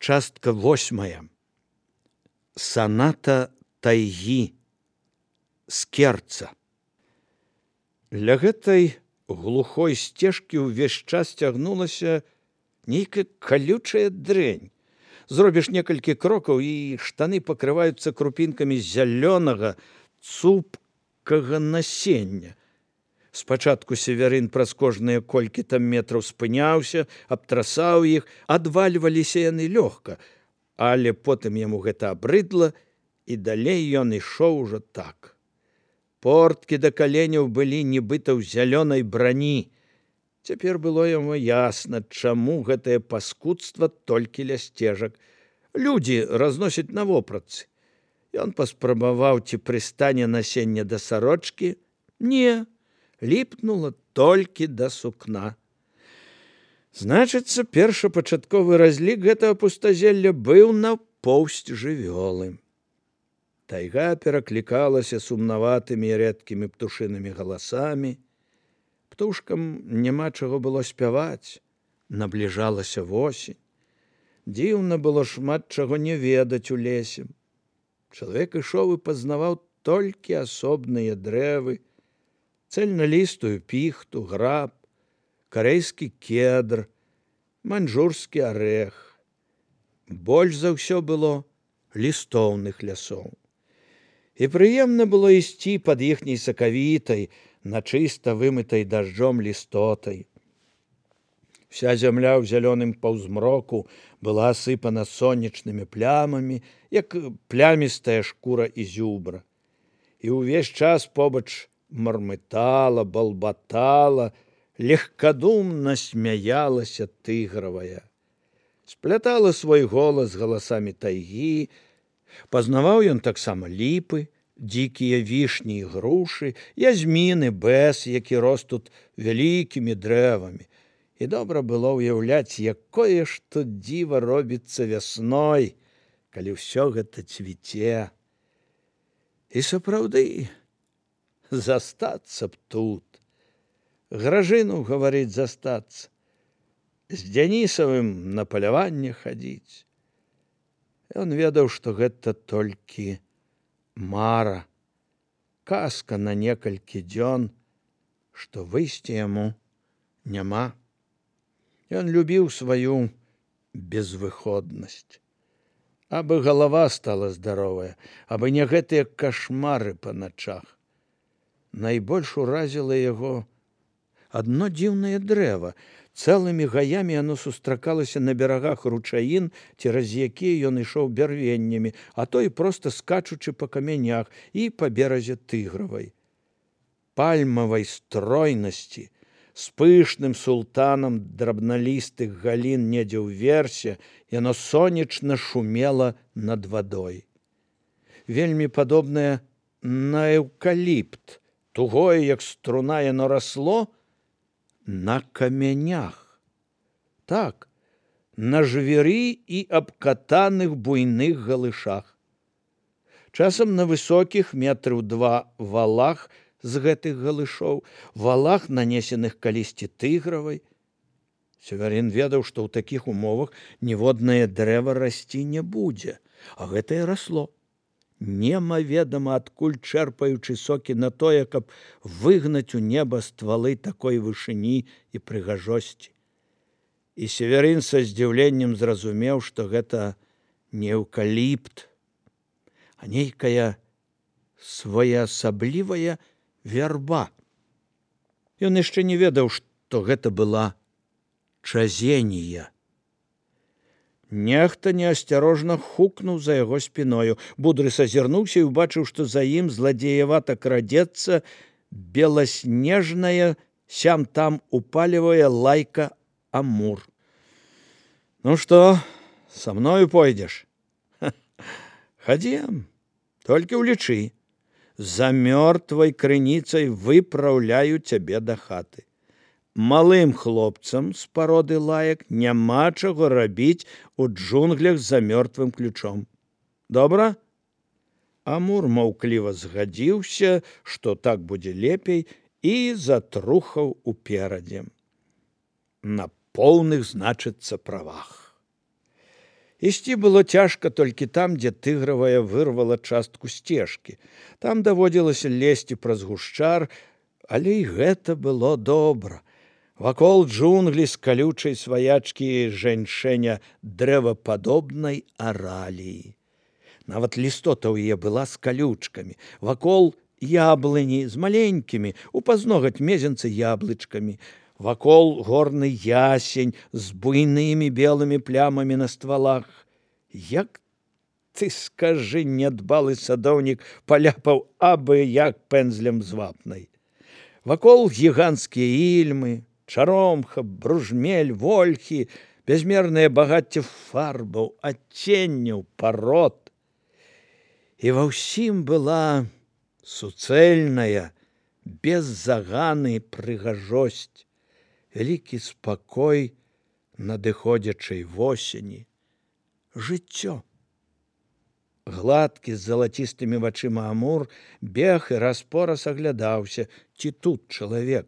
Частка 8. Саната тайгі скерца. Ля гэтай глухой сцежкі ўвесь час цягнулася нейкая калючая дрэнь. Зробіш некалькі крокаў, і штаны пакрываюцца крупінкамі зялёнага цупкага насення. Спачатку Севярын праз кожныя колькі там метраў спыняўся, абтрасаў іх, адвальваліся яны лёгка, але потым яму гэта абрыдла, і далей ён ішоў ужо так. Порткі да каленяў былі нібыта ў зялёнай брані. Цяпер было яму ясна, чаму гэтае паскудства толькі ля сцежак. Людзі разносяць на вопратцы. Ён паспрабаваў, ці прыстане насення да сарочкі. Не, ліпнула толькі да сукна. Значыцца, першапачатковы разлік гэтага пустазелля быў на поўсць жывёлы. Тайга пераклікалася сумнаватымі і рэдкімі птушынымі галасамі. Птушкам няма чаго было спяваць. Набліжалася восень. Дзіўна было шмат чаго не ведаць у лесе. Чалавек ішоў і пазнаваў толькі асобныя дрэвы, цэльналістую піхту, граб, карэйскі кедр, маньчжурскі арэх. Больш за ўсё было лістоўных лясоў. І прыемна было ісці пад іхняй сакавітай, на чыста вымытай дажджом лістотай. Вся зямля ў зялёным паўзмроку была асыпана сонечнымі плямамі, як плямістая шкура ізюбра. І ўвесь час побач мармытала, балбатала, легкадумна смяялася тыгравая. Сплятала свой голас з галасамі тайгі. Пазнаваў ён таксама ліпы, дзікія вішні і грушы, язміны, бэс, які рос тут вялікімі дрэвамі. І добра было ўяўляць, якое ж тут дзіва робіцца вясной, калі ўсё гэта цвіце. І сапраўды, застацца б тут. Гражыну, гаварыць, застацца. З Дзянісавым на паляванне хадзіць. Ён ведаў, што гэта толькі мара, казка на некалькі дзён, што выйсця яму няма. Ён любіў сваю безвыходнасць. Абы галава стала здаровая, абы не гэтыя кашмары па начах. Найбольш уразіла яго адно дзіўнае дрэва. Цэлымі гаямі яно сустракалася на берагах ручаін, цераз якія ён ішоў бярвеннямі, а то і проста скачучы па камянях і па беразе тыгравай. Пальмавай стройнасці, з пышным султанам драбналістых галін недзе ўверсе, яно сонечна шумела над вадой. Вельмі падобнае на эўкаліпт, тугое, як струна, яно расло на камянях. Так, на жвіры і абкатаных буйных галышах. Часам на высокіх метраў 2 валах з гэтых галышоў, валах, нанесеных калісьці тыгравай. Севярын ведаў, што ў такіх умовах ніводнае дрэва расці не будзе, а гэтае расло. Немаведама адкуль чэрпаючы сокі на тое, каб выгнаць у неба ствалы такой вышыні і прыгажосці. І Севярын са здзіўленнем зразумеў, што гэта не эўкаліпт, а нейкая своеасаблівая вярба. Ён яшчэ не ведаў, што гэта была чазенія. Нехта неасцярожна хукнуў за яго спіною. Будрыс азірнуўся і ўбачыў, што за ім зладзеявата крадзецца беласнежная, сям-там упалівая лайка Амур. Ну што, са мною пойдзеш? Хадзем, толькі ўлічы. За мёртвай крыніцай выпраўляю цябе да хаты. Малым хлопцам з пароды лаек няма чаго рабіць у джунглях за мёртвым ключом. Добра? Амур маўкліва згадзіўся, што так будзе лепей, і затрухаў уперадзе. На поўных, значыцца, правах. Ісці было цяжка толькі там, дзе тыгравая вырвала частку сцежкі. Там даводзілася лезці праз гушчар, але і гэта было добра. Вакол джунглі з калючай сваячкі жэньшэня дрэвападобнай араліі. Нават лістота ў яе была з калючкамі. Вакол яблыні з маленькімі, у пазногаць мезенцы яблычкамі. Вакол горны ясень з буйнымі белымі плямамі на ствалах. Як ты, скажы, нядбалы садоўнік паляпаў абы як пэндзлем з вапнай. Вакол гіганцкія ільмы, чаромха, бружмель, вольхі, бязмернае багацце фарбаў, адценняў, парод. І ва ўсім была суцэльная, без заганы прыгажосць, вялікі спакой надыходзячай восені. Жыццё. Гладкі з залацістымі вачыма Амур бег і раз-пораз аглядаўся, ці тут чалавек.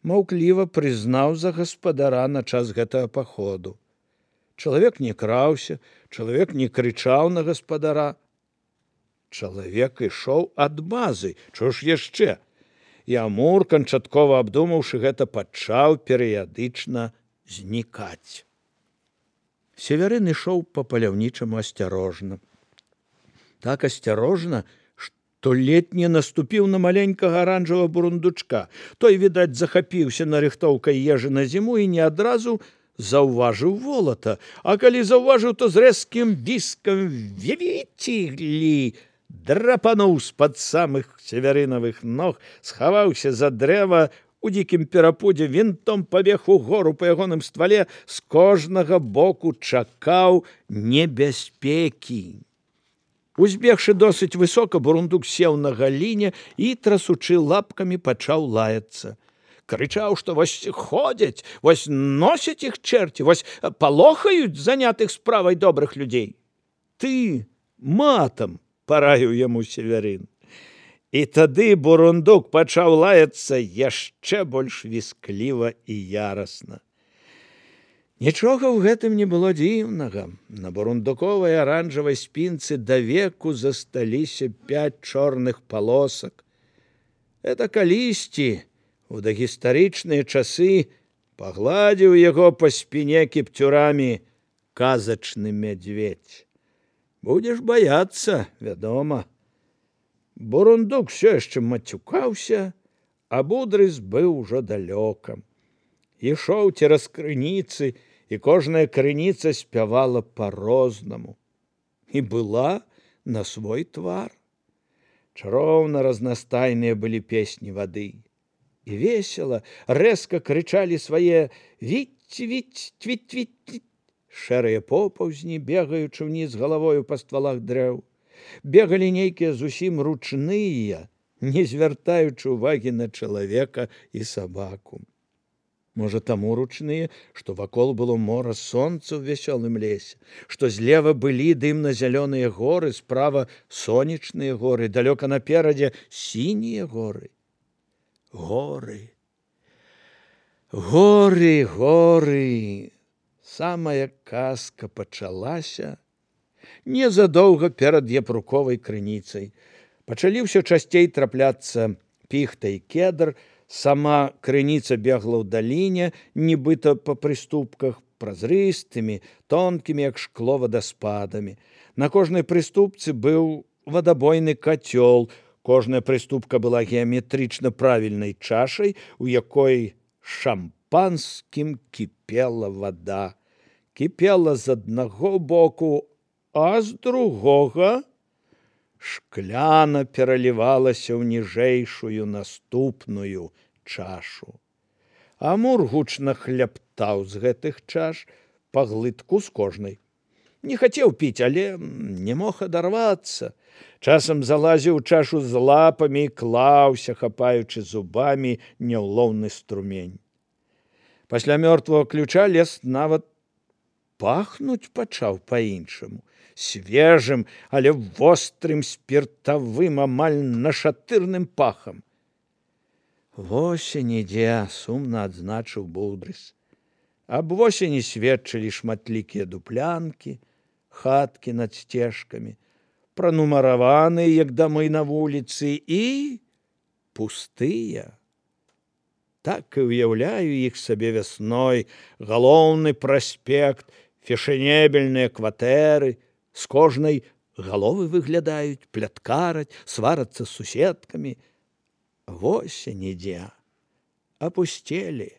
Маўкліва прызнаў за гаспадара на час гэтага паходу. Чалавек не краўся, чалавек не крычаў на гаспадара. Чалавек ішоў ад базы, чого ж яшчэ? І Амур, канчаткова абдумаўшы гэта, пачаў перыядычна знікаць. Северын ішоў па паляўнічаму асцярожна. Так асцярожна, што ледь не наступіў на маленькага аранжавага бурундучка. Той, відаць, захапіўся нарыхтоўкай ежы на зіму і не адразу заўважыў волата. А калі заўважыў, то з рэзкім віскам «Вівіцілі!» драпануў з-пад самых северынавых ног, схаваўся за дрэва, у дзікім перапудзе вінтом пабег угору па ягоным ствале, з кожнага боку чакаў небяспекі. Узбегшы досыць высока, бурундук сеў на галіне і, трасучы лапкамі, пачаў лаяцца. Крычаў, што вось ходзяць, вось носяць іх чэрці, вось палохаюць занятых справай добрых людзей. Ты матам, параіў яму Северын. І тады бурундук пачаў лаяцца яшчэ больш віскліва і ярасна. Нічога ў гэтым не было дзіўнага. На бурундуковай аранжавай спінцы давеку засталіся 5 чорных палосак. Это калісьці, у дагістарычныя часы, пагладзіў яго па спіне кіпцюрамі казачны мядзведзь. Будзеш баяцца, вядома. Бурундук все яшчэ мацюкаўся, а Будрыс быў ужо далёка. Ішоў цераз крыніцы, і кожная крыніца спявала па-рознаму. І была на свой твар. Чароўна разнастайныя былі песні вады. І весела, рэзка крычалі свае «Віць-віць, твіць-твіць». Шэрыя попаўзні, бегаючы ўніз галавою па ствалах дрэў. Бегалі нейкія зусім ручныя, не звяртаючы ўвагі на чалавека і сабаку. Можа, таму ручныя, што вакол было мора сонца ў вясёлым лесе, што злева былі дымна-зялёныя горы, справа сонечныя горы, далёка наперадзе сінія горы. Горы. Горы, горы. Самая казка пачалася незадоўга перад япруковай крыніцай. Пачалі ўсё часцей трапляцца піхта і кедр, сама крыніца бегла ў даліне, нібыта па прыступках, празрыстымі, тонкімі, як шкло, вадаспадамі. На кожнай прыступцы быў вадабойны кацёл, кожная прыступка была геаметрычна правільнай чашай, у якой шампанскім кіпела вада. Кіпела з аднаго боку, а з другога шкляна пералівалася ў ніжэйшую наступную чашу. Амур гучна хляптаў з гэтых чаш па глытку з кожнай. Не хацеў піць, але не мог адарвацца. Часам залазіў у чашу з лапамі і клаўся, хапаючы зубамі няўлоўны струмень. Пасля мёртвага ключа лес нават пахнуць пачаў па-іншаму, свежым, але вострым спіртавым, амаль нашатырным пахам. Восень ідзе, сумна адзначыў Будрыс. Аб восені сведчылі шматлікія дуплянкі, хаткі над сцежкамі, пранумараваныя, як дамы на вуліцы, і пустыя. Так і ўяўляю іх сабе вясной, галоўны праспект, фешэнебельныя кватэры, з кожнай галовы выглядаюць, пляткараць, сварацца з суседкамі. Восень ідзе, апусцелі.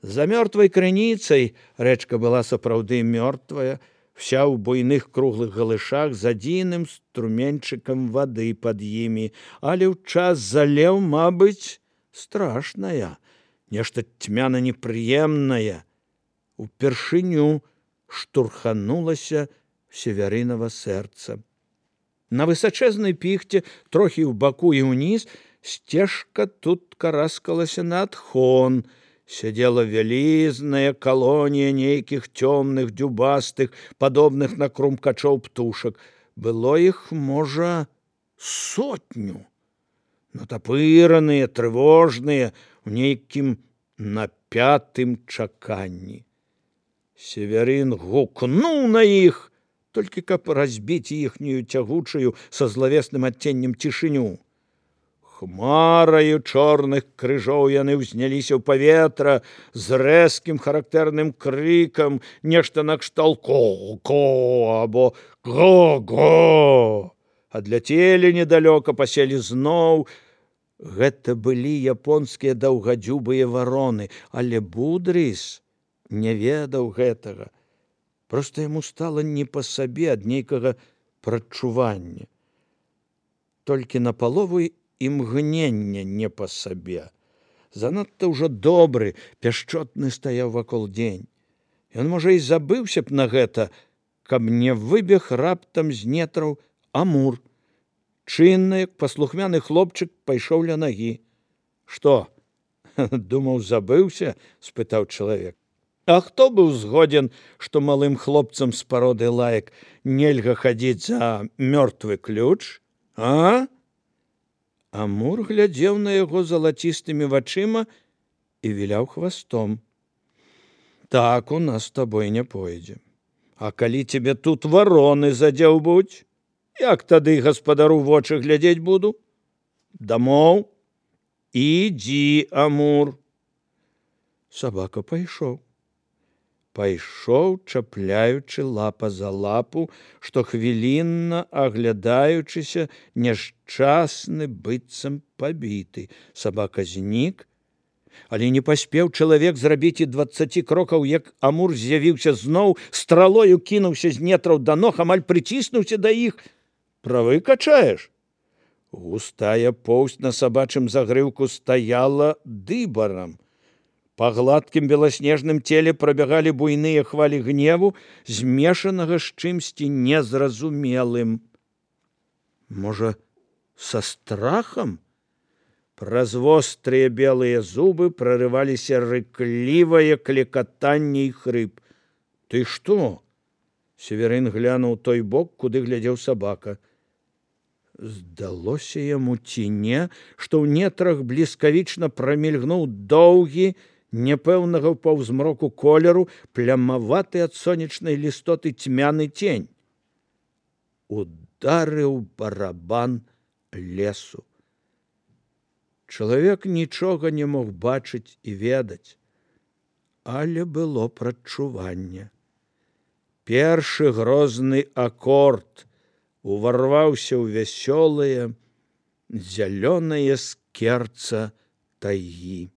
За мёртвай крыніцай рэчка была сапраўды мёртвая, вся ў буйных круглых галышах з адзіным струменьчыкам вады пад імі, але ў час залеў, мабыць, страшная, нешта цьмяна непрыемнае. Упершыню штурханулася Севярынава сэрца. На высачэзнай піхце, трохі ў баку і ўніз, сцежка тут караскалася на адхон. Сядзела вялізная калонія нейкіх цёмных, дзюбастых, падобных на крумкачоў птушак. Было іх, можа, 100, натапыраныя, трывожныя, у нейкім напятым чаканні. Севярын гукнуў на іх, толькі каб разбіць іхнюю цягучую са злавесным адценнем цішыню. Хмараю чорных крыжоў яны ўзняліся ў паветра з рэзкім характэрным крыкам, нешта накшталт «ко-ко» або «го-го». Адляцелі недалёка, паселі зноў. Гэта былі японскія даўгадзюбыя вароны, але Будрыс не ведаў гэтага. Проста яму стала не па сабе ад нейкага прадчування. Толькі напалову імгнення не па сабе. Занадта ўжо добры, пяшчотны стаяў вакол дзень. Ён, можа, і забыўся б на гэта, каб не выбег раптам з нетраў Амур. Чынны, як паслухмяны хлопчык, пайшоў ля нагі. «Што, думаў, забыўся?» – спытаў чалавек. А хто быў згодзін, што малым хлопцам з пароды лаек нельга хадзіць за мёртвы ключ, а? Амур глядзеў на яго залацістымі вачыма і віляў хвастом. «Так у нас з табой не пойдзе. А калі цябе тут вароны задзяўбуць, як тады гаспадару вочы глядзець буду? Дамоў? Ідзі, Амур!» Сабака пайшоў. Пайшоў, чапляючы лапа за лапу, штохвілінна аглядаючыся, няшчасны, быццам пабіты. Сабака знік, але не паспеў чалавек зрабіць і 20 крокаў, як Амур з'явіўся зноў, стралою кінуўся з нетраў да ног, амаль прыціснуўся да іх. «Правы качаеш?» Густая поўсць на сабачым загрыўку стаяла дыбарам. Па гладкім беласнежным целе прабягалі буйныя хвалі гневу, змешанага з чымсьці незразумелым. Можа, са страхам? Праз вострыя белыя зубы прарываліся рыклівае клекатанне і хрып. «Ты што?» Северын глянуў той бок, куды глядзеў сабака. Здалося яму ці не, што ў нетрах бліскавічна прамільгнуў доўгі, непэўнага ў паўзмроку колеру, плямаваты ад сонечнай лістоты цьмяны цень. Ударыў барабан лесу. Чалавек нічога не мог бачыць і ведаць, але было прадчуванне. Першы грозны акорд уварваўся ў вясёлае, зялёнае скерца тайгі.